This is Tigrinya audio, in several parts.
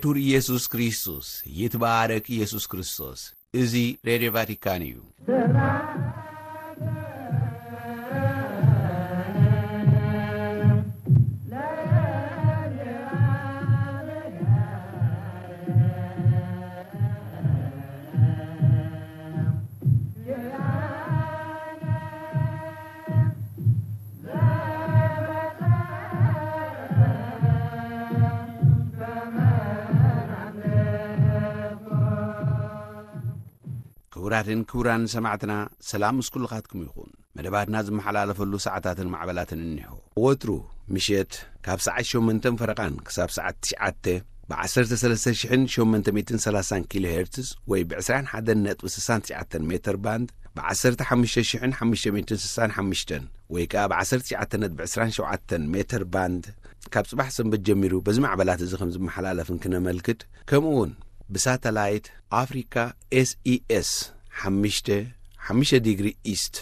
ክቡር ኢየሱስ ክርስቶስ፣ ይትባረክ ኢየሱስ ክርስቶስ። እዚ ሬድዮ ቫቲካን እዩ። ክቡራትን ክቡራን ሰማዕትና፣ ሰላም ምስ ኩልኻትኩም ይኹን። መደባትና ዝመሓላለፈሉ ሰዓታትን ማዕበላትን እኒሆ። ወትሩ ምሸት ካብ ሰዓት ሸሞንተን ፈረቓን ክሳብ ሰዓት ትሽዓተ ብ ዓሰርተ ሰለስተ ሽሕን ሸሞንተ ሚእትን ሰላሳን ኪሎ ሄርትዝ ወይ ብ ዕስራን ሓደን ነጥቢ ስሳን ትሽዓተን ሜተር ባንድ፣ ብ ዓሰርተ ሓሙሽተ ሽሕን ሓሙሽተ ሚእትን ስሳን ሓሙሽተን ወይ ከኣ ብ ዓሰርተ ትሽዓተ ነጥቢ ዕስራን ሸውዓተን ሜተር ባንድ፣ ካብ ጽባሕ ሰንበት ጀሚሩ በዚ ማዕበላት እዚ ከም ዝመሓላለፍ እንክነመልክት፣ ከምኡ እውን ብሳተላይት ኣፍሪካ ኤስኢኤስ ሓሙሽተ ሓሙሽተ ዲግሪ ኢስት፣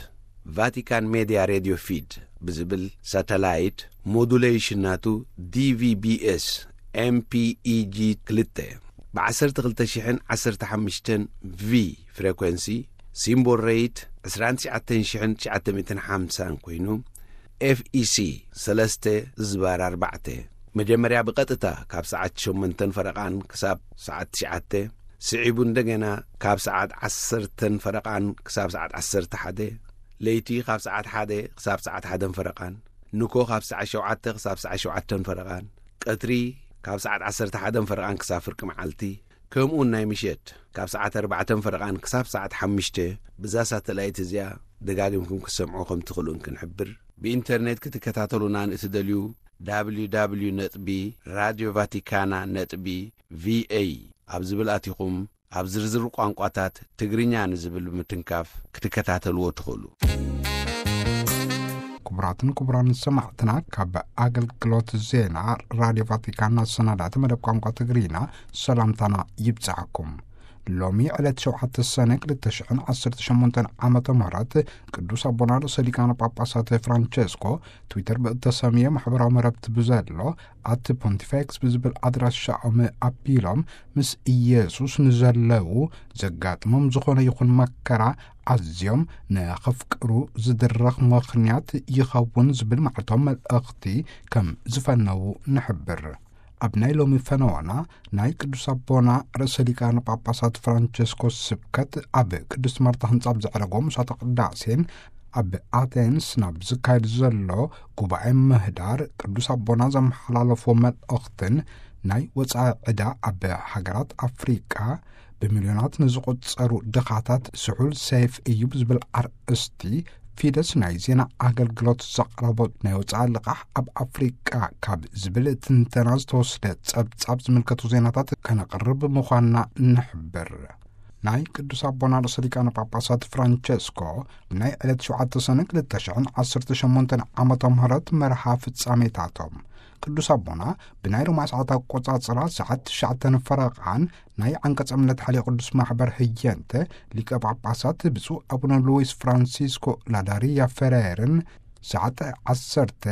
ቫቲካን ሜድያ ሬድዮ ፊድ ብዝብል ሳተላይት፣ ሞዱሌሽን ናቱ ዲቪቢኤስ ኤምፒኢጂ ክልተ ብ ዓሰርተ ክልተ ሽሕን ዓሰርተ ሓሙሽተን ቪ ፍሬኮንሲ፣ ሲምቦል ሬት ዕስራን ትሽዓተን ሽሕን ትሽዓተ ሚእትን ሓምሳን ኮይኑ፣ ኤፍኢሲ ሰለስተ ዝባር ኣርባዕተ፣ መጀመርያ ብቐጥታ ካብ ሰዓት ሸሞንተን ፈረቓን ክሳብ ሰዓት ትሽዓተ፣ ስዒቡ እንደገና ካብ ሰዓት ዓሰርተን ፈረቓን ክሳብ ሰዓት ዓሰርተ ሓደ፣ ለይቲ ካብ ሰዓት ሓደ ክሳብ ሰዓት ሓደን ፈረቓን፣ ንኮ ካብ ሰዓት ሸውዓተ ክሳብ ሰዓት ሸውዓተን ፈረቓን፣ ቀትሪ ካብ ሰዓት ዓሰርተ ሓደን ፈረቓን ክሳብ ፍርቂ መዓልቲ፣ ከምኡውን ናይ ምሸት ካብ ሰዓት ኣርባዕተን ፈረቓን ክሳብ ሰዓት ሓሙሽተ፣ ብዛ ሳተላይት እዚኣ ደጋጊምኩም ክትሰምዑ ከም ትኽእሉ እንክንሕብር፣ ብኢንተርኔት ክትከታተሉና ንእትደልዩ፣ www ነጥቢ ራድዮ ቫቲካና ነጥቢ ቪኤ ኣብ ዝብል ኣቲኹም፣ ኣብ ዝርዝር ቋንቋታት ትግርኛ ንዝብል ብምትንካፍ ክትከታተልዎ ትኽእሉ። ክቡራትን ክቡራን ሰማዕትና፣ ካብ ኣገልግሎት ዜና ራድዮ ቫቲካን ኣሰናዳእቲ መደብ ቋንቋ ትግርኛ ሰላምታና ይብጻሕኩም። ሎሚ ዕለት ሸውዓተ ሰነ ክልተ ሽሕን ዓሰርተ ሸሞንተን ዓመተ ምህረት፣ ቅዱስ ኣቦና ርእሰ ሊቃነ ጳጳሳት ፍራንቸስኮ ትዊተር ብእተሰምየ ማሕበራዊ መረብቲ ብዘሎ ኣት ፖንቲፌክስ ብዝብል ኣድራሻኦም ኣቢሎም፣ ምስ ኢየሱስ ንዘለዉ ዘጋጥሞም ዝኾነ ይኹን መከራ ኣዝዮም ንኸፍቅሩ ዝድረኽ ምኽንያት ይኸውን ዝብል መዓልታዊ መልእኽቲ ከም ዝፈነዉ ንሕብር። ኣብ ናይ ሎሚ ፈነወና፣ ናይ ቅዱስ ኣቦና ርእሰ ሊቃነ ጳጳሳት ፍራንቸስኮስ ስብከት ኣብ ቅድስት ማርታ ህንጻ ኣብ ዘዕረጎ ምሳተ ቅዳሴን ኣብ ኣቴንስ ናብ ዝካየድ ዘሎ ጉባኤ ምህዳር ቅዱስ ኣቦና ዘመሓላለፎ መልእኽትን፣ ናይ ወጻኢ ዕዳ ኣብ ሃገራት ኣፍሪቃ ብሚልዮናት ንዝቑጸሩ ድኻታት ስሑል ሰይፍ እዩ ብዝብል ኣርእስቲ ፊደስ ናይ ዜና ኣገልግሎት ዘቕረቦ ናይ ወጻኢ ልቓሕ ኣብ ኣፍሪቃ ካብ ዝብል ትንተና ዝተወስደ ጸብጻብ ዝምልከቱ ዜናታት ከነቕርብ ምዃንና ንሕብር። ናይ ቅዱስ ኣቦና ርእሰ ሊቃነ ጳጳሳት ፍራንቸስኮ ብናይ ዕለት ሸውዓተ ሰነ ክልተ ሽሕን ዓሰርተ ሸሞንተን ዓመተ ምህረት መርሃ ፍጻሜታቶም፣ ቅዱስ ኣቦና ብናይ ሮማ ሰዓት ኣቆጻጽራ ሰዓት ትሽዓተ ፈረቓን ናይ ዓንቀጸ እምነት ሓልዮ ቅዱስ ማሕበር ህየንተ ሊቀ ጳጳሳት ብፁዕ ኣቡነ ሉዊስ ፍራንሲስኮ ላዳሪያ ፈሬርን፣ ሰዓት ዓሰርተ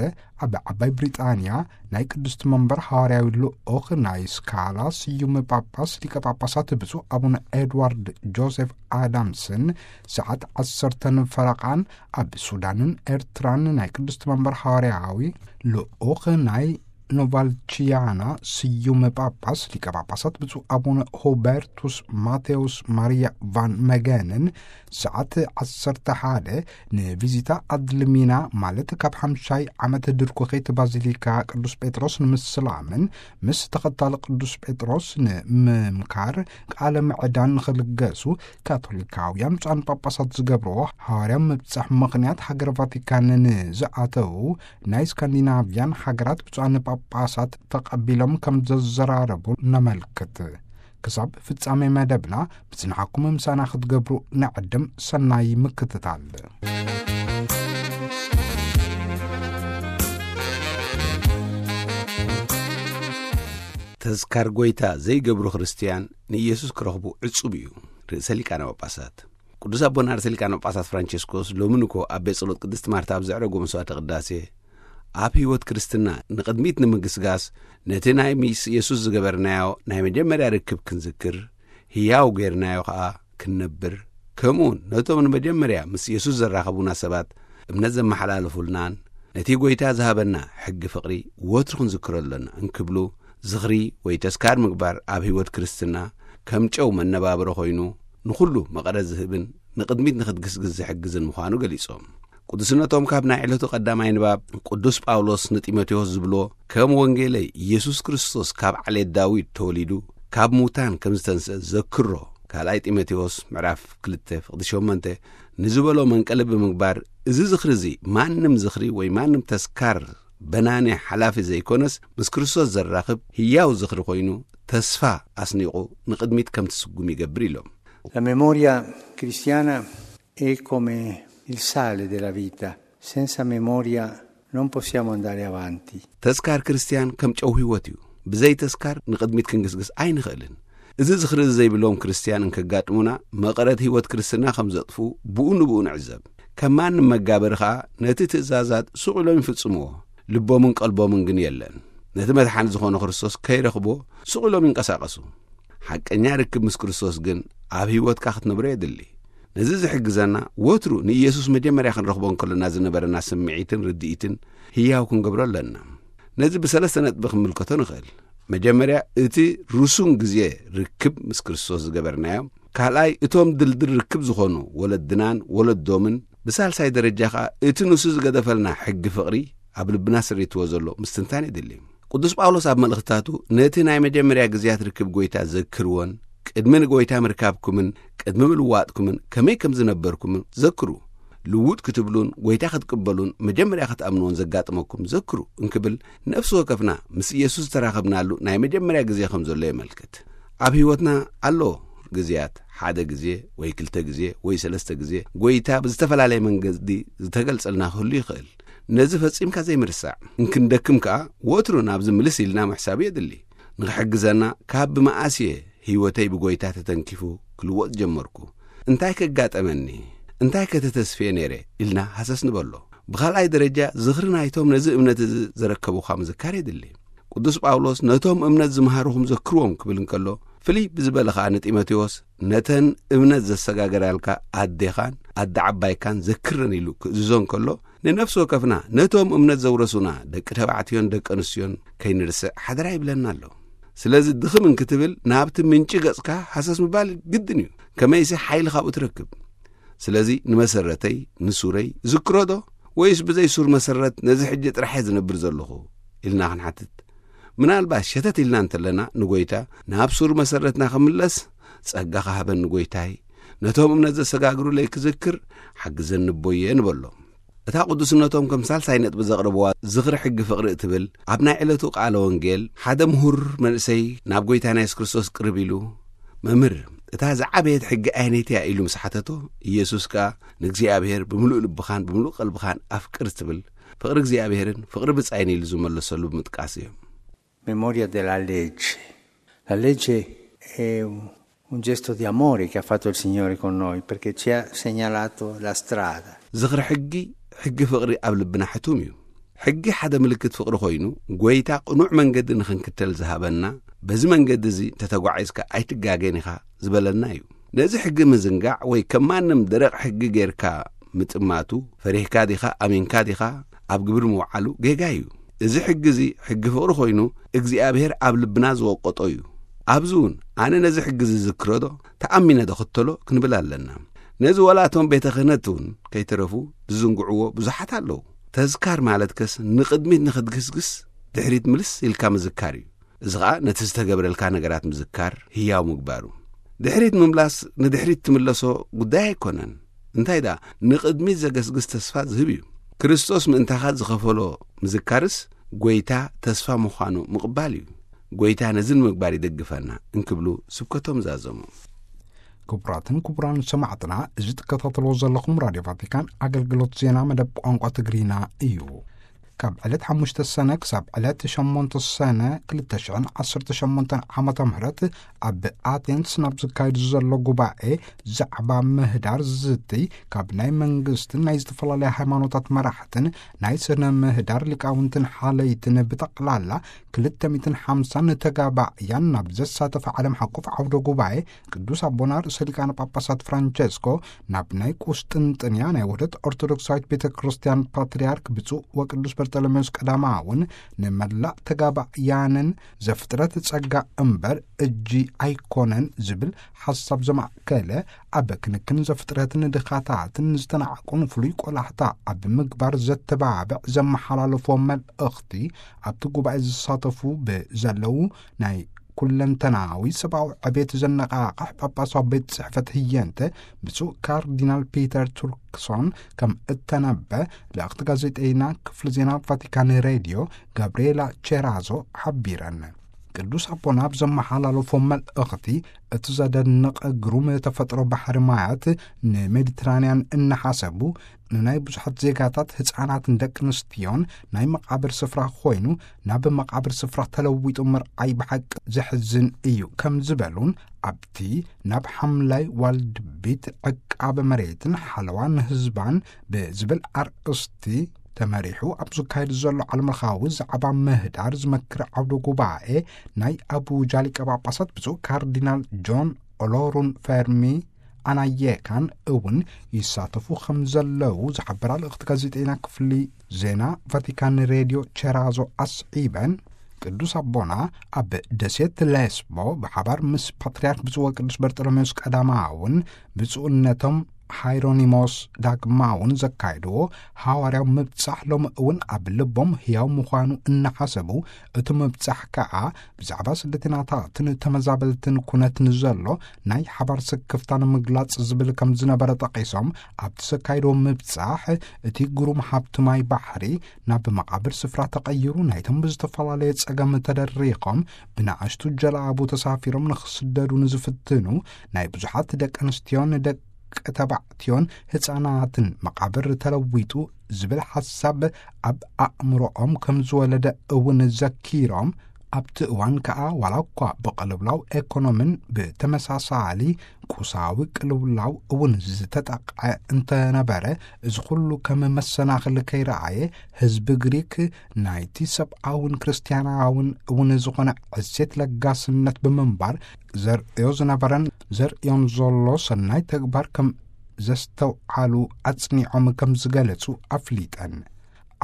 ኣብ ዓባይ ብሪጣንያ ናይ ቅድስቲ መንበር ሃዋርያዊ ልኡኽ ናይ ስካላ ስዩም ጳጳስ ሊቀ ጳጳሳት ብፁዕ ኣቡነ ኤድዋርድ ጆሴፍ ኣዳምስን፣ ሰዓት ዓሰርተ ፈረቓን ኣብ ሱዳንን ኤርትራን ናይ ቅድስቲ መንበር ሃዋርያዊ ልኡኽ ናይ ኖቫልቺያና ስዩም ጳጳስ ሊቀ ጳጳሳት ብፁዕ ኣቡነ ሁበርቱስ ማቴዎስ ማርያ ቫን መገንን፣ ሰዓት ዓሰርተ ሓደ ንቪዚታ ኣድልሚና፣ ማለት ካብ ሓምሻይ ዓመት ድርኩኺት ባዚሊካ ቅዱስ ጴጥሮስ ንምስላምን ምስ ተኸታሊ ቅዱስ ጴጥሮስ ንምምካር ቃለ ምዕዳን ንኽልገሱ ካቶሊካውያን ብፁዓን ጳጳሳት ዝገብርዎ ሃዋርያ ምብጻሕ ምኽንያት ሃገር ቫቲካን ንዝኣተዉ ናይ ስካንዲናቭያን ሃገራት ብፁዓን ጳጳሳት ተቐቢሎም ከም ዘዘራረቡ ነመልክት። ክሳብ ፍጻሜ መደብና ብጽንሓኩም ምሳና ክትገብሩ ንዕድም። ሰናይ ምክትታል። ተዝካር ጎይታ ዘይገብሩ ክርስትያን ንኢየሱስ ክረኽቡ ዕጹብ እዩ። ርእሰ ሊቃነ ጳጳሳት ቅዱስ ኣቦና ርእሰ ሊቃነ ጳጳሳት ፍራንቸስኮስ ሎሚ ንኮ ኣብ ቤት ጸሎት ቅድስት ማርታ ኣብ ዘዕረጎ መስዋዕተ ቅዳሴ ኣብ ህይወት ክርስትና ንቕድሚት ንምግስጋስ፣ ነቲ ናይ ምስ የሱስ ዝገበርናዮ ናይ መጀመርያ ርክብ ክንዝክር፣ ህያው ጌርናዮ ኸኣ ክንነብር፣ ከምኡውን ነቶም ንመጀመርያ ምስ የሱስ ዘራኸቡና ሰባት እምነት ዘመሓላለፉልናን ነቲ ጐይታ ዝሃበና ሕጊ ፍቕሪ ወትሩ ክንዝክሮ ኣሎና እንክብሉ፣ ዝኽሪ ወይ ተስካር ምግባር ኣብ ህይወት ክርስትና ከም ጨው መነባብሮ ኮይኑ፣ ንኹሉ መቐረት ዝህብን ንቕድሚት ንኽትግስግስ ዝሕግዝን ምዃኑ ገሊጾም። ቅዱስነቶም ካብ ናይ ዕለቱ ቀዳማይ ንባብ ቅዱስ ጳውሎስ ንጢሞቴዎስ ዝብሎ፣ ከም ወንጌለይ ኢየሱስ ክርስቶስ ካብ ዓሌት ዳዊት ተወሊዱ ካብ ሙታን ከም ዝተንስአ ዘክሮ፣ ካልኣይ ጢሞቴዎስ ምዕራፍ ክልተ ፍቕዲ ሸሞንተ ንዝበሎ መንቀሊ ብምግባር፣ እዚ ዝኽሪ እዚ ማንም ዝኽሪ ወይ ማንም ተስካር በናኒ ሓላፊ ዘይኮነስ፣ ምስ ክርስቶስ ዘራኽብ ህያው ዝኽሪ ኮይኑ፣ ተስፋ ኣስኒቑ ንቕድሚት ከም ትስጉም ይገብር ኢሎም። La memoria cristiana è come il sale della vita. Senza memoria non possiamo andare avanti. ተስካር ክርስትያን ከም ጨው ህይወት እዩ። ብዘይ ተስካር ንቕድሚት ክንግስግስ ኣይንኽእልን። እዚ ዝኽሪ እዚ ዘይብሎም ክርስትያን እንከጋጥሙና፣ መቐረት ህይወት ክርስትና ከም ዘጥፉ ብኡ ንብኡ ንዕዘብ። ከም ማንም መጋበሪ ኸኣ ነቲ ትእዛዛት ስቕ ኢሎም ይፍጽምዎ። ልቦምን ቀልቦምን ግን የለን። ነቲ መድሓኒ ዝኾነ ክርስቶስ ከይረኽብዎ ስቕ ኢሎም ይንቀሳቐሱ። ሓቀኛ ርክብ ምስ ክርስቶስ ግን ኣብ ህይወትካ ክትነብሮ የድሊ። ነዚ ዝሕግዘና፣ ወትሩ ንኢየሱስ መጀመርያ ክንረኽቦ እንከለና ዝነበረና ስምዒትን ርድኢትን ህያው ክንገብሮ ኣለና። ነዚ ብሰለስተ ነጥቢ ክንምልከቶ ንኽእል። መጀመርያ፣ እቲ ርሱን ግዜ ርክብ ምስ ክርስቶስ ዝገበርናዮ። ካልኣይ፣ እቶም ድልድል ርክብ ዝኾኑ ወለድናን ወለዶምን። ብሳልሳይ ደረጃ ኸኣ፣ እቲ ንሱ ዝገደፈልና ሕጊ ፍቕሪ ኣብ ልብና ስሪትዎ ዘሎ ምስትንታን የድሊ። ቅዱስ ጳውሎስ ኣብ መልእኽትታቱ፣ ነቲ ናይ መጀመርያ ግዜያት ርክብ ጐይታ ዘክርዎን፣ ቅድሚ ንጐይታ ምርካብኩምን ቅድሚ ምልዋጥኩምን ከመይ ከም ዝነበርኩምን ዘክሩ። ልውጥ ክትብሉን ጐይታ ክትቅበሉን መጀመርያ ክትኣምንዎን ዘጋጥመኩም ዘክሩ እንክብል፣ ነፍሲ ወከፍና ምስ ኢየሱስ ዝተራኸብናሉ ናይ መጀመርያ ግዜ ከም ዘሎ የመልክት። ኣብ ህይወትና ኣሎ ግዜያት፣ ሓደ ግዜ ወይ ክልተ ግዜ ወይ ሰለስተ ግዜ፣ ጐይታ ብዝተፈላለየ መንገዲ ዝተገልጸልና ክህሉ ይኽእል። ነዚ ፈጺምካ ዘይምርሳዕ። እንክንደክም ከኣ ወትሩ ናብዚ ምልስ ኢልና ምሕሳብ የድሊ። ንኽሕግዘና ካብ ብመኣስ እየ ህይወተይ ብጐይታ ተተንኪፉ ክልወጥ ጀመርኩ? እንታይ ከጋጠመኒ? እንታይ ከተተስፍየ ነይረ? ኢልና ሃሰስ ንበሎ። ብኻልኣይ ደረጃ ዝኽሪ ናይቶም ነዚ እምነት እዚ ዘረከቡኻ ምዝካር የድሊ። ቅዱስ ጳውሎስ ነቶም እምነት ዝመሃሩኹም ዘክርዎም ክብል እንከሎ፣ ፍልይ ብዝበለ ኸኣ ንጢሞቴዎስ ነተን እምነት ዘሰጋገራልካ ኣዴኻን ኣደ ዓባይካን ዘክረን ኢሉ ክእዝዞ እንከሎ፣ ንነፍሲ ወከፍና ነቶም እምነት ዘውረሱና ደቂ ተባዕትዮን ደቂ ኣንስትዮን ከይንርስዕ ሓደራ ይብለና ኣሎ። ስለዚ ድኽም እንክትብል ናብቲ ምንጪ ገጽካ ሃሰስ ምባል ግድን እዩ። ከመይሲ ሓይሊ ካብኡ ትረክብ። ስለዚ ንመሰረተይ፣ ንሱረይ ዝክሮ ዶ? ወይስ ብዘይ ሱር መሰረት ነዚ ሕጂ ጥራሕ እየ ዝነብር ዘለኹ? ኢልና ክንሓትት። ምናልባት ሸተት ኢልና እንተለና ንጎይታ ናብ ሱር መሰረትና ክምለስ ጸጋ ክሃበኒ ጎይታይ፣ ነቶም እምነት ዘሰጋግሩለይ ክዝክር ሓግዘኒ ኣቦየ ንበሎ። እታ ቅዱስነቶም ከም ሳልሳይ ነጥቢ ዘቕረብዋ ዝኽሪ ሕጊ ፍቕሪ እትብል ኣብ ናይ ዕለቱ ቃለ ወንጌል ሓደ ምሁር መንእሰይ ናብ ጎይታና የሱስ ክርስቶስ ቅርብ ኢሉ፣ "መምህር፣ እታ ዝዓበየት ሕጊ ኣየነይቲ እያ?" ኢሉ ምስ ሓተቶ፣ ኢየሱስ ከኣ፣ "ንእግዚኣብሔር ብምሉእ ልብኻን ብምሉእ ቀልብኻን ኣፍቅር" ትብል ፍቕሪ እግዚኣብሔርን ፍቕሪ ብጻይን ኢሉ ዝመለሰሉ ብምጥቃስ እዮም። Memoria della legge. La legge è un, un gesto di amore che ha fatto il Signore con noi, perché ci ha segnalato la strada. ዝኽሪ ሕጊ፣ ሕጊ ፍቕሪ ኣብ ልብና ሕቱም እዩ። ሕጊ ሓደ ምልክት ፍቕሪ ኮይኑ፣ ጎይታ ቅኑዕ መንገዲ ንኽንክተል ዝሃበና፣ በዚ መንገዲ እዚ እንተተጓዒዝካ ኣይትጋገን ኢኻ ዝበለና እዩ። ነዚ ሕጊ ምዝንጋዕ ወይ ከም ማንም ደረቕ ሕጊ ጌርካ ምጥማቱ፣ ፈሪህካ ዲኻ፣ ኣሚንካ ዲኻ፣ ኣብ ግብሪ ምውዓሉ ጌጋ እዩ። እዚ ሕጊ እዚ ሕጊ ፍቕሪ ኮይኑ እግዚኣብሔር ኣብ ልብና ዝወቀጦ እዩ። ኣብዚ እውን ኣነ ነዚ ሕጊ እዚ ዝዝክሮ ዶ፣ ተኣሚነ ዶ ክተሎ ክንብል ኣለና። ነዚ ዋላ እቶም ቤተ ክህነት እውን ከይተረፉ ዝዝንግዕዎ ብዙሓት ኣለዉ። ተዝካር ማለት ከስ ንቕድሚት ንኽትግስግስ ድሕሪት ምልስ ኢልካ ምዝካር እዩ። እዚ ኸኣ ነቲ ዝተገብረልካ ነገራት ምዝካር ህያው ምግባሩ። ድሕሪት ምምላስ ንድሕሪት ትምለሶ ጉዳይ ኣይኮነን። እንታይ ደኣ ንቕድሚት ዘገስግስ ተስፋ ዝህብ እዩ። ክርስቶስ ምእንታኻ ዝኸፈሎ ምዝካርስ ጎይታ ተስፋ ምዃኑ ምቕባል እዩ። ጎይታ ነዚ ንምግባር ይደግፈና እንክብሉ ስብከቶም ዛዘሙ። ክቡራትን ክቡራን ሰማዕትና፣ እዚ ትከታተልዎ ዘለኹም ራድዮ ቫቲካን ኣገልግሎት ዜና መደብ ቋንቋ ትግርኛ እዩ። ካብ ዕለት ሓሙሽተ ሰነ ክሳብ ዕለት ሸሞንተ ሰነ ክልተ ሽሕን ዓሰርተ ሸሞንተን ዓመተ ምህረት ኣብ ኣቴንስ ናብ ዝካየድ ዘሎ ጉባኤ ዛዕባ ምህዳር ዝዝትይ፣ ካብ ናይ መንግስትን ናይ ዝተፈላለዩ ሃይማኖታት መራሕትን ናይ ስነ ምህዳር ሊቃውንትን ሓለይትን ብጠቕላላ ክልተ ሚእትን ሓምሳን ተጋባእያን ናብ ዘሳተፈ ዓለም ሓቆፍ ዓውደ ጉባኤ፣ ቅዱስ ኣቦና ርእሰ ሊቃነ ጳጳሳት ፍራንቸስኮ ናብ ናይ ቁስጥንጥንያ ናይ ውህደት ኦርቶዶክሳዊት ቤተ ክርስቲያን ፓትርያርክ ብፁዕ ወቅዱስ በርጠሎሜዎስ ቀዳማውን ንመላእ ተጋባእያንን ዘፍጥረት ጸጋ እምበር እጂ ኣይኮነን ዝብል ሓሳብ ዘማእከለ፣ ኣብ ክንክን ዘፍጥረትን ድኻታትን ዝተናዕቁን ፍሉይ ቆላሕታ ኣብ ምግባር ዘተባብዕ ዘመሓላለፎ መልእኽቲ፣ ኣብቲ ጉባኤ ዝሳተፉ ብዘለዉ ናይ ኩለንተናዊ ሰብኣዊ ዕቤት ዘነቓቕሕ ጳጳሳዊ ቤት ጽሕፈት ህየንተ ብፁዕ ካርዲናል ፒተር ቱርክሶን ከም እተነበ ልእኽቲ ጋዜጠይና ክፍሊ ዜና ቫቲካን ሬድዮ ጋብርኤላ ቼራዞ ሓቢረን። ቅዱስ ኣቦና ኣብ ዘመሓላለፎ መልእኽቲ፣ እቲ ዘደንቕ ግሩም ተፈጥሮ ባሕሪ ማያት ንሜዲትራንያን እናሓሰቡ፣ ንናይ ብዙሓት ዜጋታት ህፃናትን ደቂ ኣንስትዮን ናይ መቓብር ስፍራ ኮይኑ ናብ መቓብር ስፍራ ተለዊጡ ምርኣይ ብሓቂ ዘሕዝን እዩ ከም ዝበሉን፣ ኣብቲ ናብ ሓምላይ ዋልድቢት ዕቃበ መሬትን ሓለዋ ንህዝባን ብዝብል ኣርእስቲ ተመሪሑ ኣብ ዝካየድ ዘሎ ዓለምለኻዊ ዛዕባ ምህዳር ዝመክር ዓውደ ጉባኤ፣ ናይ ኣቡጃ ሊቀ ጳጳሳት ብፁዕ ካርዲናል ጆን ኦሎሩን ፈርሚ ኣናየካን እውን ይሳተፉ ከም ዘለዉ ዝሓበራ ልእኽቲ ጋዜጠይና ክፍሊ ዜና ቫቲካን ሬድዮ ቸራዞ ኣስዒበን፣ ቅዱስ ኣቦና ኣብ ደሴት ሌስቦ ብሓባር ምስ ፓትርያርክ ብፁዕ ወቅዱስ በርጠሎሜዎስ ቀዳማውን ብፁዕነቶም ሃይሮኒሞስ ዳግማውን ዘካየድዎ ሃዋርያዊ ምብጻሕ ሎሚ እውን ኣብ ልቦም ህያው ምዃኑ እናሓሰቡ፣ እቲ ምብጻሕ ከኣ ብዛዕባ ስደተኛታትን ተመዛበልትን ኩነት ንዘሎ ናይ ሓባር ስክፍታ ንምግላጽ ዝብል ከም ዝነበረ ጠቒሶም፣ ኣብቲ ዘካየድዎ ምብጻሕ እቲ ግሩም ሃብቲ ማይ ባሕሪ ናብ መቓብር ስፍራ ተቐይሩ፣ ናይቶም ብዝተፈላለየ ጸገም ተደሪኾም ብንኣሽቱ ጀላቡ ተሳፊሮም ንኽስደዱ ንዝፍትኑ ናይ ብዙሓት ደቂ ኣንስትዮን ደቂ ተባዕትዮን ህፃናትን መቓብር ተለዊጡ ዝብል ሓሳብ ኣብ ኣእምሮኦም ከም ዝወለደ እውን ዘኪሮም፣ ኣብቲ እዋን ከኣ ዋላ እኳ ብቅልውላው ኤኮኖምን ብተመሳሳሊ ቁሳዊ ቅልውላው እውን ዝተጠቕዐ እንተነበረ፣ እዚ ኩሉ ከም መሰናኽል ከይረኣየ፣ ህዝቢ ግሪክ ናይቲ ሰብኣውን ክርስትያናውን እውን ዝኾነ ዕሴት ለጋስነት ብምንባር፣ ዘርእዮ ዝነበረን ዘርእዮን ዘሎ ሰናይ ተግባር ከም ዘስተውዓሉ ኣጽኒዖም ከም ዝገለጹ ኣፍሊጠን።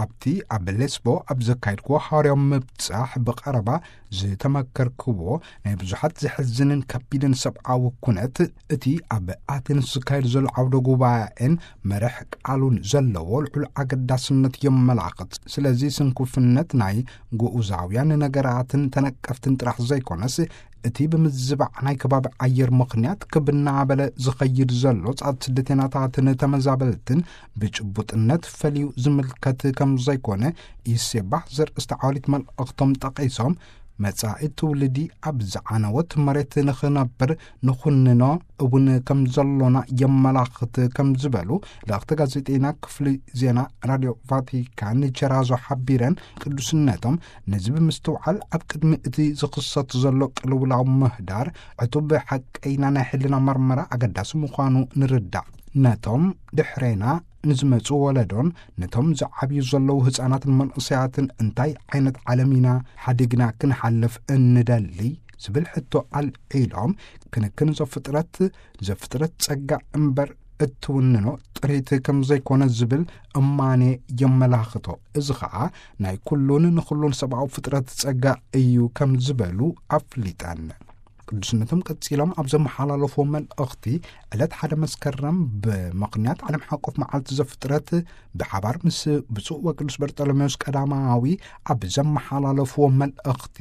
ኣብቲ ኣብ ሌስቦ ኣብ ዘካየድክዎ ሃዋርያዊ ምብጻሕ ብቐረባ ዝተመከርክዎ ናይ ብዙሓት ዘሕዝንን ከቢድን ሰብኣዊ ኩነት፣ እቲ ኣብ ኣቴንስ ዝካየድ ዘሎ ዓውደ ጉባኤን መርሕ ቃሉን ዘለዎ ልዑል ኣገዳስነት የመላኽት። ስለዚ ስንኩፍነት ናይ ግኡዛውያን ነገራትን ተነቀፍትን ጥራሕ ዘይኮነስ፣ እቲ ብምዝባዕ ናይ ከባቢ ኣየር ምኽንያት ክብ እናበለ ዝኸይድ ዘሎ ጻት ስደተኛታትን ተመዛበልትን ብጭቡጥነት ፈልዩ ዝምልከት ከም ዘይኮነ ይሴባህ ዘርእስቲ ዓወሊት መልእኽቶም ጠቒሶም፣ መጻኢ ትውልዲ ኣብ ዝዓነወት መሬት ንኽነብር ንኹንኖ እውን ከም ዘሎና የመላኽት ከም ዝበሉ ልእኽቲ ጋዜጠይና ክፍሊ ዜና ራድዮ ቫቲካን ቸራዞ ሓቢረን፣ ቅዱስነቶም ነዚ ብምስትውዓል ኣብ ቅድሚ እቲ ዝኽሰት ዘሎ ቅልውላው ምህዳር ዕቱብ ሓቀይና ናይ ሕልና መርመራ ኣገዳሲ ምዃኑ ንርዳእ። ነቶም ድሕሬና ንዝመጹ ወለዶን ነቶም ዝዓብዩ ዘለዉ ህጻናትን መንእሰያትን እንታይ ዓይነት ዓለም ኢና ሓዲግና ክንሓልፍ እንደሊ ዝብል ሕቶ ኣልዒሎም፣ ክንክን ዘፍጥረት፣ ዘፍጥረት ጸጋ እምበር እትውንኖ ጥሪት ከም ዘይኮነ ዝብል እማኔ የመላኽቶ። እዚ ኸኣ ናይ ኩሉን ንኹሉን ሰብኣዊ ፍጥረት ጸጋ እዩ ከም ዝበሉ ኣፍሊጠን። ቅዱስነቶም ቀጺሎም ኣብ ዘመሓላለፍዎ መልእኽቲ፣ ዕለት ሓደ መስከረም ብምኽንያት ዓለም ሓቆፍ መዓልቲ ዘፍጥረት ብሓባር ምስ ብፁዕ ወቅዱስ በርጠሎሜዎስ ቀዳማዊ ኣብ ዘመሓላለፍዎ መልእኽቲ፣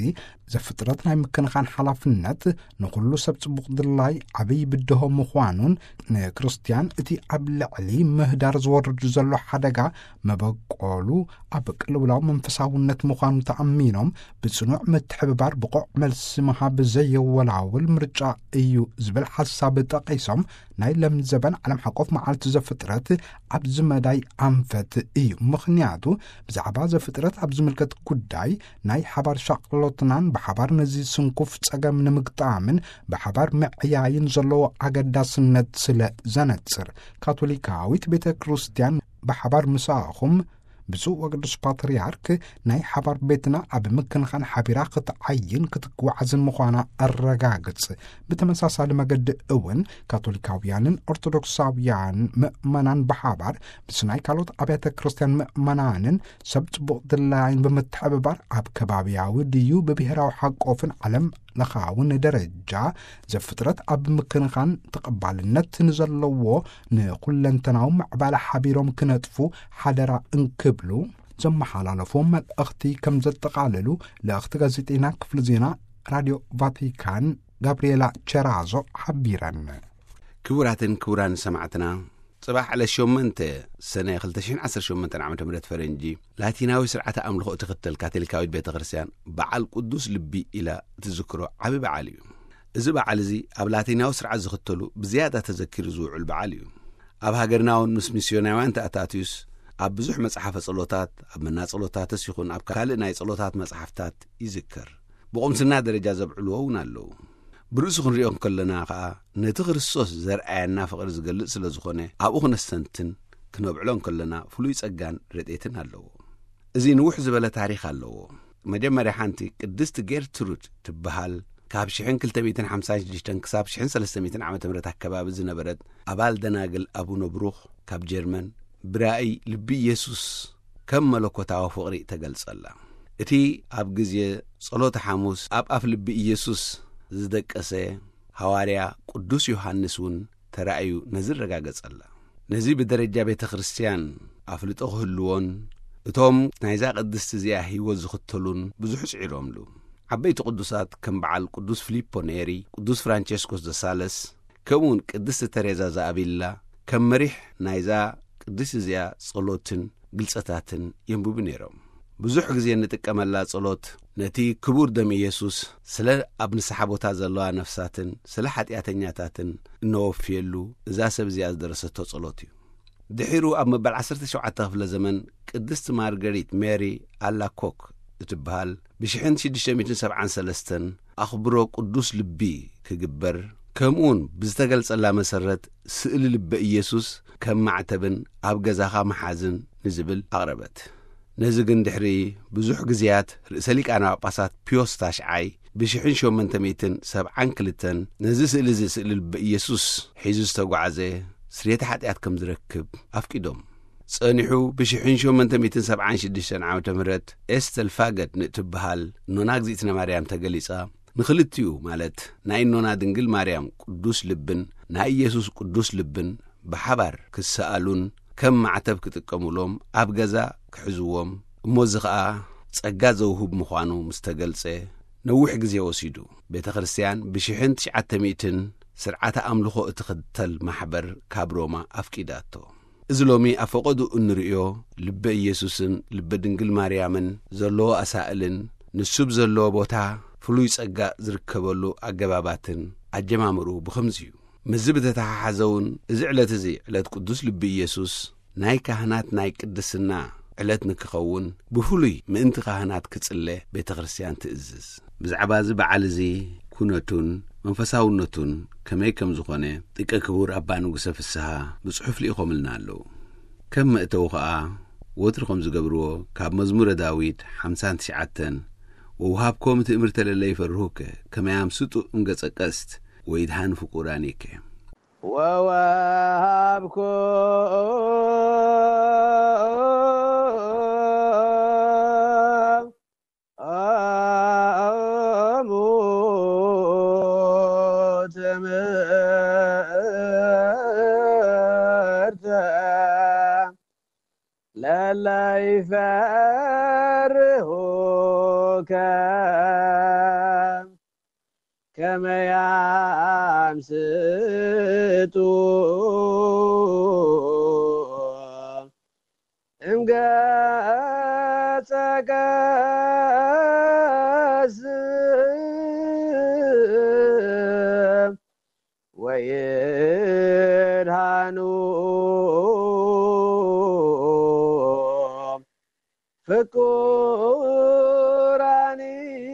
ዘፍጥረት ናይ ምክንኻን ሓላፍነት ንኹሉ ሰብ ጽቡቕ ድላይ ዓብይ ብድሆ ምዃኑን፣ ንክርስቲያን እቲ ኣብ ልዕሊ ምህዳር ዝወርድ ዘሎ ሓደጋ መበቆሉ ኣብ ቅልውላው መንፈሳውነት ምዃኑ ተኣሚኖም፣ ብጽኑዕ ምትሕብባር ብቑዕ መልሲ ምሃብ ዘየወላውል ምርጫ እዩ ዝብል ሓሳብ ጠቒሶም፣ ናይ ለምዘበን ዓለም ሓቆፍ መዓልቲ ዘፍጥረት ኣብዚ መዳይ ኣንፈት እዩ። ምኽንያቱ ብዛዕባ ዘፍጥረት ኣብ ዝምልከት ጉዳይ ናይ ሓባር ሻቕሎትናን ብሓባር ነዚ ስንኩፍ ጸገም ንምግጣምን ብሓባር ምዕያይን ዘለዎ ኣገዳስነት ስለ ዘነጽር፣ ካቶሊካዊት ቤተ ክርስቲያን ብሓባር ምሳኹም ብፁዕ ወቅዱስ ፓትርያርክ ናይ ሓባር ቤትና ኣብ ምክንኻን ሓቢራ ክትዓይን ክትጓዓዝን ምዃና ኣረጋግጽ። ብተመሳሳሊ መገዲ እውን ካቶሊካውያንን ኦርቶዶክሳውያን ምእመናን ብሓባር ምስ ናይ ካልኦት ኣብያተ ክርስቲያን ምእመናንን ሰብ ጽቡቕ ድላይን ብምትሕብባር ኣብ ከባቢያዊ ድዩ ብብሔራዊ ሓቆፍን ዓለም ለኻውን ደረጃ ዘፍጥረት ኣብ ምክንኻን ተቐባልነት ንዘለዎ ንኩለንተናዊ ምዕባለ ሓቢሮም ክነጥፉ ሓደራ እንክብሉ ዘመሓላለፎ መልእኽቲ ከም ዘጠቓለሉ ልእኽቲ ጋዜጠኛ ክፍሊ ዜና ራድዮ ቫቲካን ጋብርኤላ ቸራዞ ሓቢረን። ክቡራትን ክቡራን ሰማዕትና፣ ጽባሕ ዕለት ሸሞንተ ሰነ ክልተ ሽሕን ዓሰርተ ሸሞንተን ዓመተ ምህረት ፈረንጂ፣ ላቲናዊ ስርዓተ ኣምልኾ እትኽተል ካቶሊካዊት ቤተ ክርስቲያን በዓል ቅዱስ ልቢ ኢላ እትዝክሮ ዓቢ በዓል እዩ። እዚ በዓል እዚ ኣብ ላቲናዊ ስርዓት ዝኽተሉ ብዝያዳ ተዘኪሩ ዝውዕል በዓል እዩ። ኣብ ሃገርና እውን ምስ ሚስዮናውያን ተኣታትዩስ ኣብ ብዙሕ መጽሓፈ ጸሎታት፣ ኣብ መና ጸሎታትስ ይኹን ኣብ ካልእ ናይ ጸሎታት መጽሓፍታት ይዝከር። ብቑምስና ደረጃ ዘብዕልዎ እውን ኣለዉ። ብርእሱ ክንሪኦ እንከለና ኸኣ ነቲ ክርስቶስ ዘርኣየና ፍቕሪ ዝገልጽ ስለ ዝኾነ ኣብኡ ክነስተንትን ክነብዕሎ እንከለና ፍሉይ ጸጋን ረድኤትን ኣለዎ። እዚ ንውሕ ዝበለ ታሪኽ ኣለዎ። መጀመርያ ሓንቲ ቅድስቲ ጌርትሩድ ትበሃል ካብ ሽሕን ክልተ ሚእትን ሓምሳን ሽዱሽተን ክሳብ ሽሕን ሰለስተ ሚእትን ዓመተ ምህረት ኣከባቢ ዝነበረት ኣባል ደናግል ኣቡነ ብሩኽ ካብ ጀርመን ብራእይ ልቢ ኢየሱስ ከም መለኮታዊ ፍቕሪ ተገልጸላ። እቲ ኣብ ግዜ ጸሎተ ሓሙስ ኣብ ኣፍ ልቢ ኢየሱስ ዝደቀሰ ሃዋርያ ቅዱስ ዮሃንስ እውን ተራእዩ ነዚ ኣረጋገጸላ። ነዚ ብደረጃ ቤተ ክርስቲያን ኣፍልጦ ክህልዎን እቶም ናይዛ ቅድስቲ እዚኣ ህይወት ዝኽተሉን ብዙሕ ጽዒሮምሉ። ዓበይቲ ቅዱሳት ከም በዓል ቅዱስ ፊሊፖ ኔሪ፣ ቅዱስ ፍራንቸስኮስ ዘሳለስ፣ ከምኡውን ቅድስቲ ተሬዛ ዘኣቪላ ከም መሪሕ ናይዛ ቅድስቲ እዚኣ ጸሎትን ግልጸታትን የንብቡ ነይሮም። ብዙሕ ግዜ እንጥቀመላ ጸሎት ነቲ ክቡር ደም ኢየሱስ ስለ ኣብ ንስሓ ቦታ ዘለዋ ነፍሳትን ስለ ሓጢኣተኛታትን እነወፍየሉ እዛ ሰብ እዚኣ ዝደረሰቶ ጸሎት እዩ። ድሒሩ ኣብ መበል ዓሰርተ ሸውዓተ ክፍለ ዘመን ቅድስቲ ማርገሪት ሜሪ ኣላኮክ እትበሃል ብሽሕን ሽዱሽተ ሚእትን ሰብዓን ሰለስተን ኣኽብሮ ቅዱስ ልቢ ክግበር፣ ከምኡውን ብዝተገልጸላ መሰረት ስእሊ ልበ ኢየሱስ ከም ማዕተብን ኣብ ገዛኻ መሓዝን ንዝብል ኣቕረበት። ነዚ ግን ድሕሪ ብዙሕ ግዜያት ርእሰ ሊቃነ ጳጳሳት ፒዮስ ታሽዓይ ብሽሕን ሸሞንተ ሚእትን ሰብዓን ክልተን ነዚ ስእሊ እዚ ስእሊ ልበ ኢየሱስ ሒዙ ዝተጓዕዘ ስርየተ ሓጢኣት ከም ዝረክብ ኣፍቂዶም። ጸኒሑ ብሽሕን ሸሞንተ ሚእትን ሰብዓን ሽዱሽተን ዓመተ ምህረት ኤስተል ፋገድ ንእትበሃል ኖና እግዚኣብነ ማርያም ተገሊጻ ንኽልቲኡ ማለት ናይ ኖና ድንግል ማርያም ቅዱስ ልብን ናይ ኢየሱስ ቅዱስ ልብን ብሓባር ክሰኣሉን ከም ማዕተብ ክጥቀሙሎም ኣብ ገዛ ክሕዝዎም እሞ እዚ ኸኣ ጸጋ ዘውህብ ምዃኑ ምስ ተገልጸ ነዊሕ ግዜ ወሲዱ። ቤተ ክርስቲያን ብሽሕን ትሽዓተ ሚእትን ስርዓተ ኣምልኾ እትኽተል ማሕበር ካብ ሮማ ኣፍቂዳቶ። እዚ ሎሚ ኣብ ፈቐዱ እንርእዮ ልበ ኢየሱስን ልበ ድንግል ማርያምን ዘለዎ ኣሳእልን ንሱ ብዘለዎ ቦታ ፍሉይ ጸጋ ዝርከበሉ ኣገባባትን ኣጀማምርኡ ብኸምዚ እዩ። ምስዚ ብተተሓሓዘ እውን እዚ ዕለት እዚ ዕለት ቅዱስ ልቢ ኢየሱስ ናይ ካህናት ናይ ቅድስና ዕለት ንክኸውን ብፍሉይ ምእንቲ ካህናት ክጽለ ቤተ ክርስቲያን ትእዝዝ። ብዛዕባ እዚ በዓል እዚ ኩነቱን መንፈሳውነቱን ከመይ ከም ዝኾነ ጥቀ ክቡር ኣባ ንጉሰ ፍስሃ ብጽሑፍ ልኢኾምልና ኣለዉ። ከም መእተዊ ኸኣ ወትሩ ከም ዝገብርዎ ካብ መዝሙረ ዳዊት ሓምሳን ትሽዓተን ወውሃብኮ ምትእምርተ ለለ ይፈርሁከ ከመ ያምስጡ እምገጸ ቀስት ወይድሃን ፍቁራኒከ። ወወሃብኩ ትምህርተ لا يفرهوك كما يمسطوا امقاتك السم ويرهنوا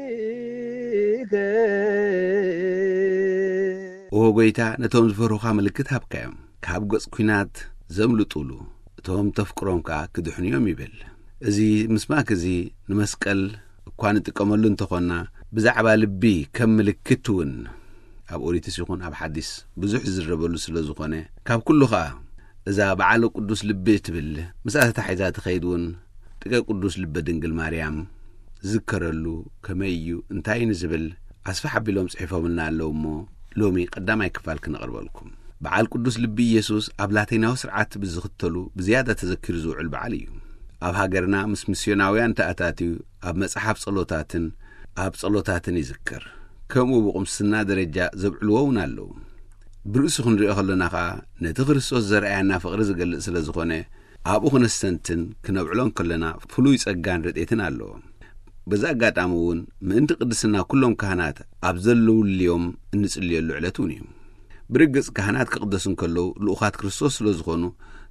فكورانيك ኦ ጎይታ፣ ነቶም ዝፈርሁኻ ምልክት ሃብካዮም፣ ካብ ገጽ ኲናት ዘምልጡሉ፣ እቶም ተፍቅሮም ከኣ ክድሕኑ እዮም ይብል። እዚ ምስማክ እዚ ንመስቀል እኳ ንጥቀመሉ እንተኾንና፣ ብዛዕባ ልቢ ከም ምልክት እውን ኣብ ኦሪትስ ይኹን ኣብ ሓዲስ ብዙሕ ዝዝረበሉ ስለ ዝኾነ፣ ካብ ኩሉ ኸኣ እዛ በዓለ ቅዱስ ልቢ እትብል ምስኣ ተታሒዛ ትኸይድ እውን ጥቀ ቅዱስ ልበ ድንግል ማርያም ዝከረሉ ከመይ እዩ እንታይ ንዝብል ኣስፍሕ ኣቢሎም ጽሒፎምልና ኣለዉ እሞ፣ ሎሚ ቀዳማይ ክፋል ክነቕርበልኩም። በዓል ቅዱስ ልቢ ኢየሱስ ኣብ ላቲናዊ ስርዓት ብዝኽተሉ ብዝያዳ ተዘኪሩ ዝውዕል በዓል እዩ። ኣብ ሃገርና ምስ ሚስዮናውያን ተኣታትዩ ኣብ መጽሓፍ ጸሎታትን ኣብ ጸሎታትን ይዝከር። ከምኡ ብቁምስና ደረጃ ዘብዕልዎ እውን ኣለዉ። ብርእሱ ክንሪኦ ከለና ኸኣ ነቲ ክርስቶስ ዘርኣያና ፍቕሪ ዝገልጽ ስለ ዝኾነ፣ ኣብኡ ክነስተንትን ክነብዕሎ እንከለና ፍሉይ ጸጋን ረድኤትን ኣለዎ። በዚ ኣጋጣሚ እውን ምእንቲ ቅድስና ኩሎም ካህናት ኣብ ዘለውልዮም እንጽልየሉ ዕለት እውን እዩ። ብርግጽ ካህናት ክቕደሱ እንከለዉ ልኡኻት ክርስቶስ ስለ ዝኾኑ፣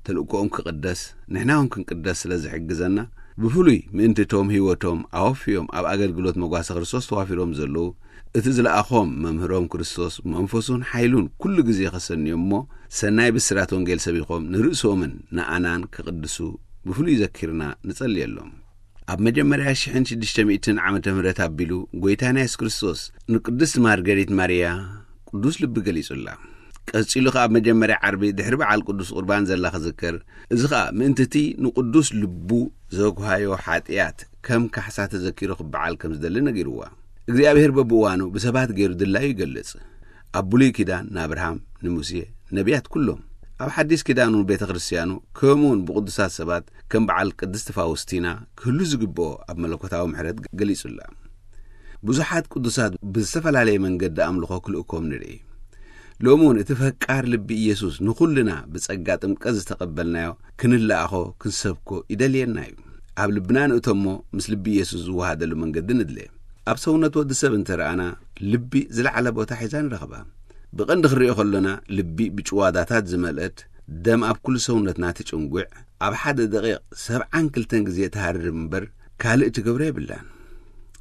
ተልእኮኦም ክቕደስ ንሕና እውን ክንቅደስ ስለ ዝሕግዘና፣ ብፍሉይ ምእንቲ እቶም ህይወቶም ኣወፍዮም ኣብ ኣገልግሎት መጓሰ ክርስቶስ ተዋፊሮም ዘለዉ፣ እቲ ዝለኣኾም መምህሮም ክርስቶስ መንፈሱን ሓይሉን ኩሉ ግዜ ከሰንዮም እሞ፣ ሰናይ ብስራት ወንጌል ሰቢኾም ንርእሶምን ንኣናን ክቕድሱ ብፍሉይ ዘኪርና ንጸልየሎም። ኣብ መጀመርያ ሽሕን ሽዱሽተ ሚእትን ዓመተ ምህረት ኣቢሉ ጎይታና የሱስ ክርስቶስ ንቅድስት ማርገሪት ማርያ ቅዱስ ልቢ ገሊጹላ። ቀጺሉ ከኣ ኣብ መጀመርያ ዓርቢ ድሕሪ በዓል ቅዱስ ቁርባን ዘላ ክዝከር፣ እዚ ኸኣ ምእንቲ እቲ ንቅዱስ ልቡ ዘጉሃዮ ሓጢኣት ከም ካሕሳ ተዘኪሩ ክበዓል ከም ዝደሊ ነጊርዋ። እግዚኣብሔር በብእዋኑ ብሰባት ገይሩ ድላዩ ይገልጽ። ኣብ ብሉይ ኪዳን ንኣብርሃም፣ ንሙሴ፣ ነቢያት ኩሎም፣ ኣብ ሓዲስ ኪዳን እውን ቤተ ክርስትያኑ፣ ከምኡውን ብቅዱሳት ሰባት ከም በዓል ቅድስቲ ፋውስቲና ክህሉ ዝግብኦ ኣብ መለኮታዊ ምሕረት ገሊጹላ። ብዙሓት ቅዱሳት ብዝተፈላለየ መንገዲ ኣምልኾ ክልእኮም ንርኢ። ሎሚ እውን እቲ ፈቃር ልቢ ኢየሱስ ንኹልና ብጸጋ ጥምቀት ዝተቐበልናዮ ክንለኣኾ ክንሰብኮ ይደልየና እዩ። ኣብ ልብና ንእቶሞ፣ ምስ ልቢ ኢየሱስ ዝወሃደሉ መንገዲ ንድለ። ኣብ ሰውነት ወዲ ሰብ እንተ ረኣና፣ ልቢ ዝለዓለ ቦታ ሒዛ ንረኽባ። ብቐንዲ ክንሪኦ ከሎና፣ ልቢ ብጭዋዳታት ዝመልአት፣ ደም ኣብ ኩሉ ሰውነትና ትጭንጉዕ፣ ኣብ ሓደ ደቂቕ ሰብዓን ክልተን ግዜ ትሃርም እምበር ካልእ ትገብሮ የብላን።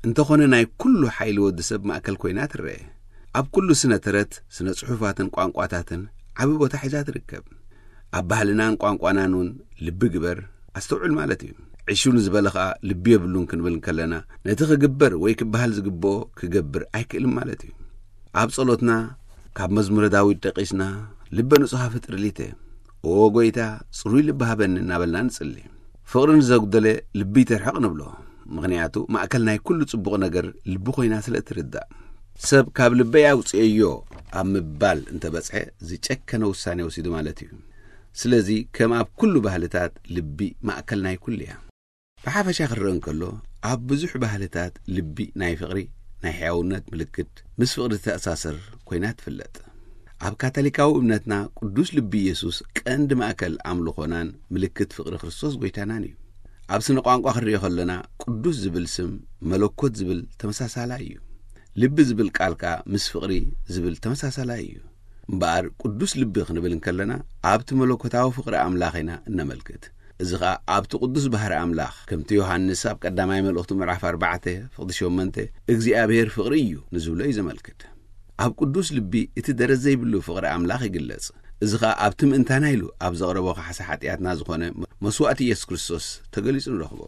እንተኾነ ናይ ኩሉ ሓይሊ ወዲ ሰብ ማእከል ኮይና ትረአ። ኣብ ኩሉ ስነ ተረት፣ ስነ ጽሑፋትን ቋንቋታትን ዓቢ ቦታ ሒዛ ትርከብ። ኣብ ባህልናን ቋንቋናን እውን ልቢ ግበር፣ ኣስተውዕል ማለት እዩ። ዕሹ ንዝበለ ኸኣ ልቢ የብሉን ክንብል እንከለና፣ ነቲ ክግበር ወይ ክበሃል ዝግብኦ ክገብር ኣይክእልን ማለት እዩ። ኣብ ጸሎትና ካብ መዝሙረ ዳዊት ደቂስና፣ ልበ ንጹሃ ፍጥር ሊተ፣ ኦ ጎይታ፣ ጽሩይ ልቢ ሃበኒ እናበልና ንጽሊ። ፍቕሪ ንዘጉደለ ልቢ ይተርሕቕ ንብሎ። ምኽንያቱ ማእከል ናይ ኩሉ ጽቡቕ ነገር ልቢ ኮይና ስለ እትርዳእ። ሰብ ካብ ልበይ ኣውጽኤዮ ኣብ ምባል እንተበጽሐ ዝጨከነ ውሳኔ ወሲዱ ማለት እዩ። ስለዚ ከም ኣብ ኩሉ ባህልታት ልቢ ማእከል ናይ ኩሉ እያ። ብሓፈሻ ክረአ እንከሎ ኣብ ብዙሕ ባህልታት ልቢ ናይ ፍቕሪ፣ ናይ ሕያውነት ምልክት፣ ምስ ፍቕሪ ዝተኣሳሰር ኮይና ትፍለጥ። ኣብ ካቶሊካዊ እምነትና ቅዱስ ልቢ ኢየሱስ ቀንዲ ማእከል ኣምልኾናን ምልክት ፍቕሪ ክርስቶስ ጎይታናን እዩ። ኣብ ስነ ቋንቋ ክንሪኦ ከለና ቅዱስ ዝብል ስም መለኮት ዝብል ተመሳሳላይ እዩ። ልቢ ዝብል ቃል ከኣ ምስ ፍቕሪ ዝብል ተመሳሳላይ እዩ። እምበኣር ቅዱስ ልቢ ክንብል እንከለና ኣብቲ መለኮታዊ ፍቕሪ ኣምላኽ ኢና እነመልክት። እዚ ኸኣ ኣብቲ ቅዱስ ባህሪ ኣምላኽ፣ ከምቲ ዮሃንስ ኣብ ቀዳማይ መልእኽቱ ምዕራፍ ኣርባዕተ ፍቕዲ ሸሞንተ፣ እግዚኣብሔር ፍቕሪ እዩ ንዝብሎ እዩ ዘመልክት። ኣብ ቅዱስ ልቢ እቲ ደረት ዘይብሉ ፍቕሪ ኣምላኽ ይግለጽ። እዚ ኸኣ ኣብቲ ምእንታና ኢሉ ኣብ ዘቕረቦ ካሕሳ ሓጢኣትና ዝኾነ መስዋእቲ ኢየሱስ ክርስቶስ ተገሊጹ ንረኽቦ።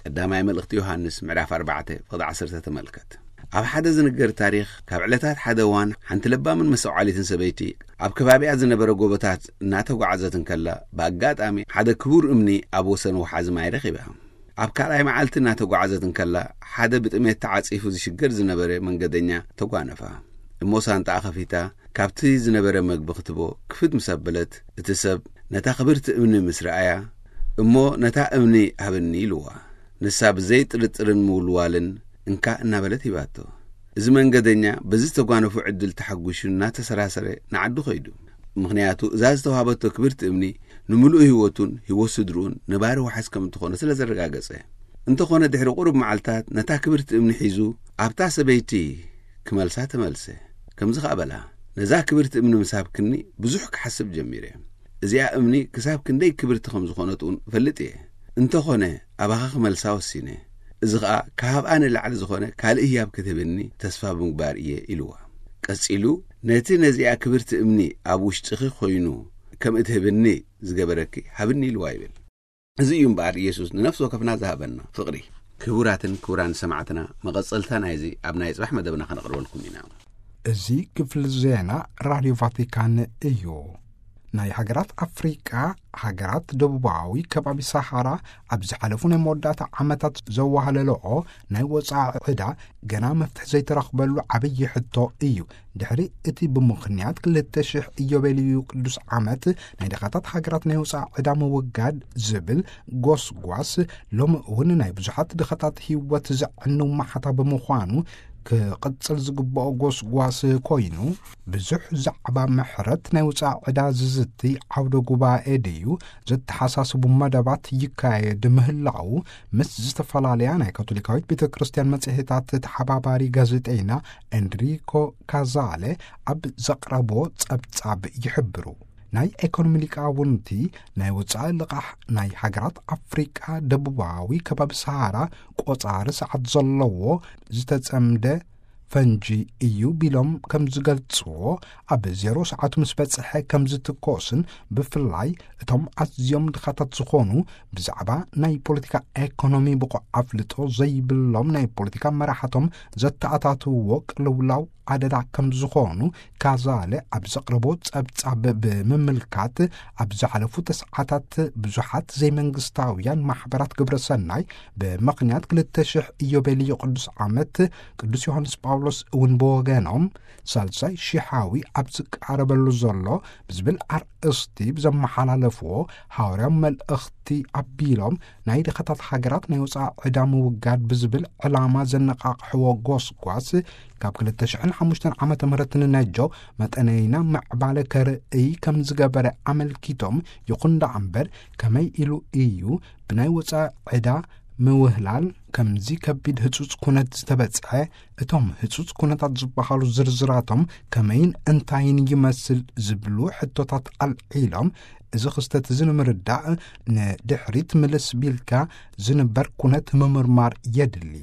ቀዳማይ መልእኽቲ ዮሃንስ ምዕራፍ ኣርባዕተ ፍቕዲ ዓሰርተ ተመልከት። ኣብ ሓደ ዝንገር ታሪኽ፣ ካብ ዕለታት ሓደ እዋን ሓንቲ ለባምን መስተውዓሊትን ሰበይቲ ኣብ ከባቢኣ ዝነበረ ጎቦታት እናተጓዓዘት እንከላ፣ ብኣጋጣሚ ሓደ ክቡር እምኒ ኣብ ወሰን ወሓዚ ማይ ረኺባ። ኣብ ካልኣይ መዓልቲ እናተጓዓዘት እንከላ፣ ሓደ ብጥሜት ተዓጺፉ ዝሽገር ዝነበረ መንገደኛ ተጓነፋ። እሞ ሳንጣኣ ከፊታ ካብቲ ዝነበረ መግቢ ክትቦ ክፍት ምስ ኣበለት፣ እቲ ሰብ ነታ ክብርቲ እምኒ ምስ ረኣያ፣ እሞ ነታ እምኒ ሃብኒ ኢልዋ። ንሳ ብዘይ ጥርጥርን ምውልዋልን እንካ እናበለት ሂባቶ። እዚ መንገደኛ በዚ ዝተጓነፉ ዕድል ተሓጒሹ እናተሰራሰረ ንዓዱ ኸይዱ። ምኽንያቱ እዛ ዝተዋሃበቶ ክብርቲ እምኒ ንምሉእ ህይወቱን ህይወት ስድርኡን ነባሪ ዋሕስ ከም እትኾነ ስለ ዘረጋገጸ። እንተኾነ ድሕሪ ቁሩብ መዓልታት ነታ ክብርቲ እምኒ ሒዙ ኣብታ ሰበይቲ ክመልሳ ተመልሰ። ከምዚ ኸኣ በላ፣ ነዛ ክብርቲ እምኒ ምስ ሃብክኒ ብዙሕ ክሓስብ ጀሚረ። እዚኣ እምኒ ክሳብ ክንደይ ክብርቲ ከም ዝኾነት እውን እፈልጥ እየ። እንተኾነ ኣባኻ ክመልሳ ወሲነ። እዚ ኸኣ ክሃብኣ ንላዕሊ ዝኾነ ካልእ ህያብ ክትህብኒ ተስፋ ብምግባር እየ ኢልዋ። ቀጺሉ፣ ነቲ ነዚኣ ክብርቲ እምኒ ኣብ ውሽጥኺ ኮይኑ ከም እትህብኒ ዝገበረኪ ሃብኒ ኢልዋ ይብል። እዚ እዩ እምበኣር ኢየሱስ ንነፍሲ ወከፍና ዝሃበና ፍቕሪ። ክቡራትን ክቡራን ሰማዕትና፣ መቐጸልታ ናይዚ ኣብ ናይ ጽባሕ መደብና ከነቕርበልኩም ኢና። እዚ ክፍሊ ዜና ራድዮ ቫቲካን እዩ። ናይ ሃገራት ኣፍሪቃ፣ ሃገራት ደቡባዊ ከባቢ ሰሃራ ኣብ ዝሓለፉ ናይ መወዳእታ ዓመታት ዘዋህለልኦ ናይ ወጻኢ ዕዳ ገና መፍትሒ ዘይተረኽበሉ ዓብዪ ሕቶ እዩ። ድሕሪ እቲ ብምኽንያት ክልተ ሽሕ ኢዮቤልዩ ቅዱስ ዓመት ናይ ድኻታት ሃገራት ናይ ወጻኢ ዕዳ ምውጋድ ዝብል ጎስጓስ፣ ሎሚ እውን ናይ ብዙሓት ድኻታት ህይወት ዘዕንው ማሕታ ብምዃኑ፣ ክቕጽል ዝግብኦ ጎስጓስ ኮይኑ፣ ብዙሕ ዛዕባ ምሕረት ናይ ውጻእ ዕዳ ዝዝቲ ዓውደ ጉባኤ ድዩ ዘተሓሳስቡ መደባት ይካየድ ምህላው፣ ምስ ዝተፈላለያ ናይ ካቶሊካዊት ቤተ ክርስቲያን መጽሔታት ተሓባባሪ ጋዜጠይና ኤንሪኮ ካዛለ ኣብ ዘቕረቦ ጸብጻብ ይሕብሩ። ናይ ኤኮኖሚ ሊቃውንቲ፣ ናይ ወጻኢ ልቓሕ ናይ ሃገራት ኣፍሪቃ ደቡባዊ ከባቢ ሰሃራ ቆጻሪ ሰዓት ዘለዎ ዝተጸምደ ፈንጂ እዩ ቢሎም ከም ዝገልጽዎ፣ ኣብ ዜሮ ሰዓቱ ምስ በጽሐ ከም ዝትኮስን፣ ብፍላይ እቶም ኣዝዮም ድኻታት ዝኾኑ ብዛዕባ ናይ ፖለቲካ ኤኮኖሚ ብቑዕ ኣፍልጦ ዘይብሎም ናይ ፖለቲካ መራሕቶም ዘተኣታትውዎ ቅልውላው ኣደዳ ከም ዝኾኑ ካዛለ ኣብ ዘቕረቦ ጸብጻብ ብምምልካት፣ ኣብ ዝሓለፉ ተስዓታት ብዙሓት ዘይመንግስታውያን ማሕበራት ግብረ ሰናይ ብምኽንያት ክልተ ሽሕ ኢዮቤልዩ ቅዱስ ዓመት፣ ቅዱስ ዮሃንስ ጳውሎስ እውን ብወገኖም ሳልሳይ ሽሓዊ ኣብ ዝቃረበሉ ዘሎ ብዝብል ኣርእስቲ ብዘመሓላለፍዎ ሃዋርያዊ መልእኽቲ ኣቢሎም፣ ናይ ድኻታት ሃገራት ናይ ወጻኢ ዕዳ ምውጋድ ብዝብል ዕላማ ዘነቓቕሕዎ ጎስጓስ፣ ካብ ክልተ ሽሕን ሓሙሽተን ዓመተ ምህረት ንነጆ መጠነይና ምዕባለ ከርእይ ከም ዝገበረ ኣመልኪቶም፣ ይኹን ደኣ እምበር ከመይ ኢሉ እዩ ብናይ ወጻኢ ዕዳ ምውህላል ከምዚ ከቢድ ህጹጽ ኩነት ዝተበጽሐ? እቶም ህጹጽ ኩነታት ዝበሃሉ ዝርዝራቶም ከመይን እንታይን ይመስል ዝብሉ ሕቶታት ኣልዒሎም፣ እዚ ክስተት እዚ ንምርዳእ ንድሕሪት ምልስ ቢልካ ዝንበር ኩነት ምምርማር የድሊ።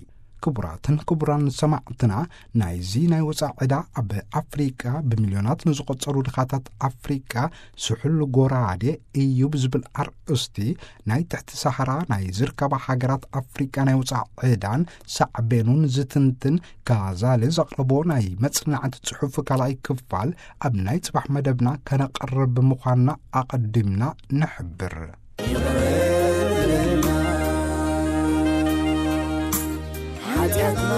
ክቡራትን ክቡራን ሰማዕትና፣ ናይዚ ናይ ወጻኢ ዕዳ ኣብ ኣፍሪቃ ብሚልዮናት ንዝቖጸሩ ድኻታት ኣፍሪቃ ስሑል ጎራዴ እዩ ብዝብል ኣርእስቲ፣ ናይ ትሕቲ ሰሃራ ናይ ዝርከባ ሃገራት ኣፍሪቃ ናይ ወጻኢ ዕዳን ሳዕቤኑን ዝትንትን ካዛሊ ዘቕረቦ ናይ መጽናዕቲ ጽሑፍ ካልኣይ ክፋል ኣብ ናይ ጽባሕ መደብና ከነቕርብ ምዃንና ኣቐዲምና ንሕብር። ሓጢኣትና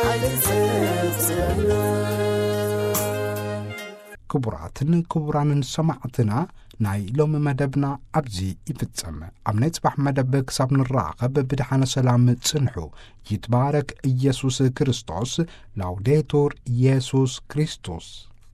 ኣይትጸብጸብና። ክቡራትን ክቡራንን ሰማዕትና፣ ናይ ሎሚ መደብና ኣብዚ ይፍጸም። ኣብ ናይ ጽባሕ መደብ ክሳብ ንራኸብ ብድሓነ ሰላም ጽንሑ። ይትባረክ ኢየሱስ ክርስቶስ። ላውዴቱር ኢየሱስ ክርስቶስ።